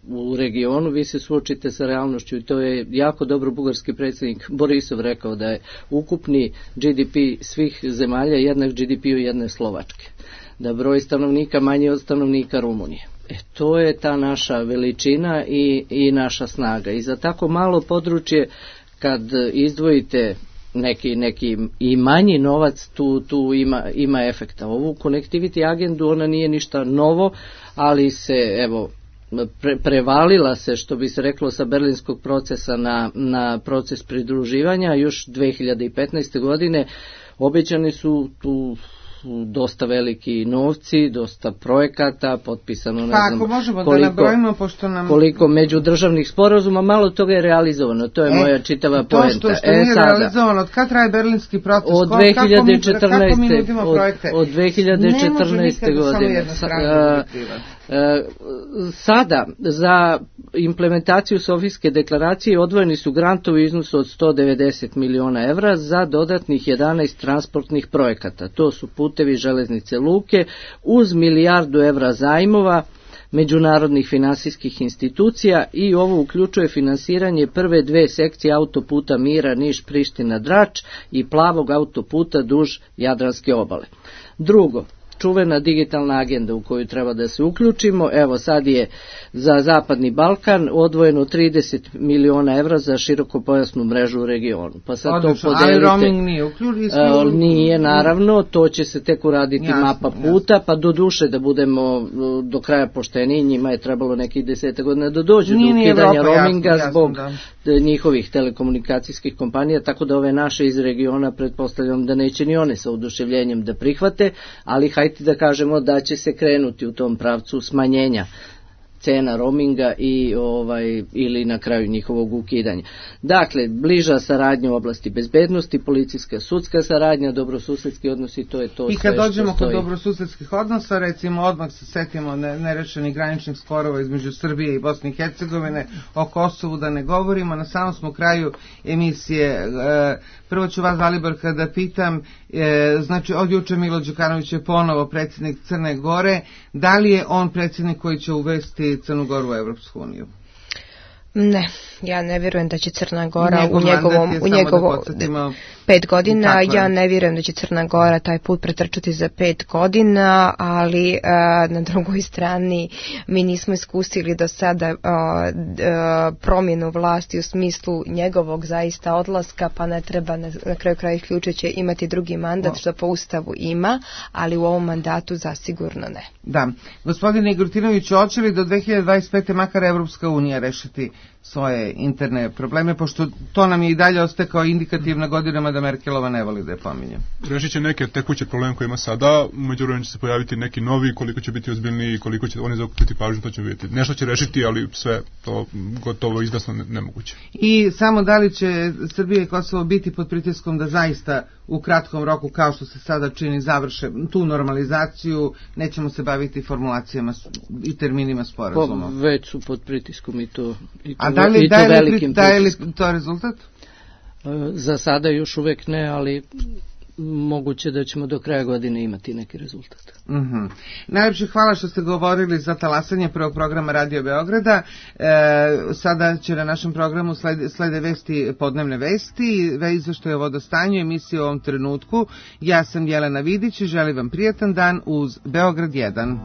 u regionu, vi se suočite sa realnošću i to je jako dobro bugarski predsjednik Borisov rekao da je ukupni G D P svih zemalja jednak G D P-u jedne Slovačke, da broj stanovnika manji od stanovnika Rumunije. E, to je ta naša veličina i, i naša snaga. I za tako malo područje, kad izdvojite neki, neki i manji novac tu, tu ima, ima efekta. Ovu connectivity agendu, ona nije ništa novo, ali se, evo, pre, prevalila se, što bi se reklo, sa berlinskog procesa na, na proces pridruživanja. Još dve hiljade petnaeste. godine obećani su tu dosta veliki novci, dosta projekata, potpisano ne pa, znam ako možemo koliko, da nabrojimo, pošto nam... koliko međudržavnih sporazuma, malo toga je realizovano, to je e, moja čitava to poenta. To što, što e, nije sada, realizovano, od kada traje berlinski proces? Od dve hiljade četrnaeste. Kako mi nudimo projekte? Od, od dve hiljade četrnaeste. godine. Sada, za implementaciju Sofijske deklaracije odvojeni su grantovi u iznosu od sto devedeset miliona evra za dodatnih jedanaest transportnih projekata. To su putevi, železnice, luke, uz milijardu evra zajmova međunarodnih finansijskih institucija, i ovo uključuje finansiranje prve dve sekcije autoputa Mira, Niš, Priština, Drač i plavog autoputa duž Jadranske obale. Drugo, čuvena digitalna agenda u koju treba da se uključimo. Evo, sad je za Zapadni Balkan odvojeno trideset miliona evra za širokopojasnu mrežu u regionu. Pa sad odlično, to podelite. Ali roaming nije uključeno? Uh, nije, naravno, to će se tek uraditi jasno, mapa puta, jasno. Pa do duše da budemo do kraja pošteni, njima je trebalo nekih deseta godina da dođu nije, do ukidanja Evropa, roaminga jasno, zbog jasno, da. njihovih telekomunikacijskih kompanija, tako da ove naše iz regiona pretpostavljam da neće ni one sa oduševljenjem da prihvate, ali hajde da kažemo da će se krenuti u tom pravcu smanjenja cena roaminga i ovaj ili na kraju njihovog ukidanja. Dakle, bliža saradnja u oblasti bezbednosti, policijska, sudska saradnja, dobrosusedski odnosi, to je to. I kad dođemo kod dobrosusedskih odnosa, recimo odmah se setimo nerešenih graničnih sporova između Srbije i Bosne i Hercegovine, o Kosovu da ne govorimo. Na samom smo kraju emisije. Prvo ću vas, Zaliborka, da pitam, znači od juče Milo Đukanović je ponovo predsjednik Crne Gore, da li je on predsjednik koji će uvesti Crnu Goru u Evropsku uniju? Ne, ja ne vjerujem da će Crna Gora Njegov u njegovom u njegovo da pet godina, ja ne vjerujem da će Crna Gora taj put pretrčati za pet godina, ali a, na drugoj strani mi nismo iskusili do sada a, a, promjenu vlasti u smislu njegovog zaista odlaska, pa ne treba na, na kraju kraja isključujuće imati drugi mandat, no. što po Ustavu ima, ali u ovom mandatu zasigurno ne. Da, gospodine Igrutinović, hoće li do dve hiljade dvadeset pete makar Evropska unija rešiti svoje interne probleme, pošto to nam je i dalje ostaje kao indikativna godinama da Merkelova ne voli da je pominje. Rešit će neke tekuće probleme koje ima sada, umeđu vremenu će se pojaviti neki novi, koliko će biti ozbiljniji i koliko će oni zakupiti pažnju, to će vidjeti. Nešto će rešiti, ali sve to gotovo izvesno ne, nemoguće. I samo da li će Srbija i Kosovo biti pod pritiskom da zaista u kratkom roku, kao što se sada čini, završe tu normalizaciju, nećemo se baviti formulacijama i terminima sporazuma. Pa, već su pod pritiskom i to, i to, A da li, i to da velikim li, da li to rezultat? Za sada još uvek ne, ali moguće da ćemo do kraja godine imati neki rezultat. Uh-huh. Najlepše hvala što ste govorili za talasanje prvog programa Radio Beograda. E, sada će na našem programu slede, slede vesti, podnevne vesti, izveštaje o vodostanju, emisije u ovom trenutku. Ja sam Jelena Vidić i želim vam prijatan dan uz Beograd jedan.